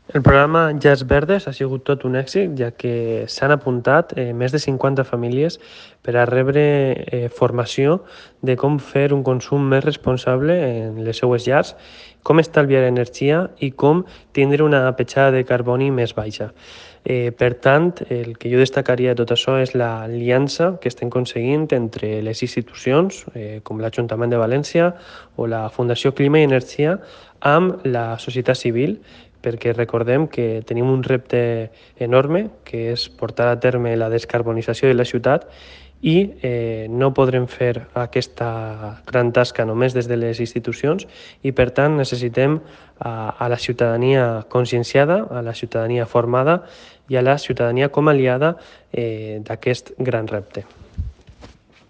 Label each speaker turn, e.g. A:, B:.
A: El programa Llars Verdes ha sigut tot un èxit, ja que s'han apuntat més de 50 famílies per a rebre formació de com fer un consum més responsable en les seues llars, com estalviar energia i com tindre una petjada de carboni més baixa. Per tant, el que jo destacaria de tot això és l'aliança que estem aconseguint entre les institucions, com l'Ajuntament de València o la Fundació Clima i Energia, amb la societat civil, perquè recordem que tenim un repte enorme, que és portar a terme la descarbonització de la ciutat i no podrem fer aquesta gran tasca només des de les institucions i, per tant, necessitem a la ciutadania conscienciada, a la ciutadania formada i a la ciutadania com a aliada d'aquest gran repte.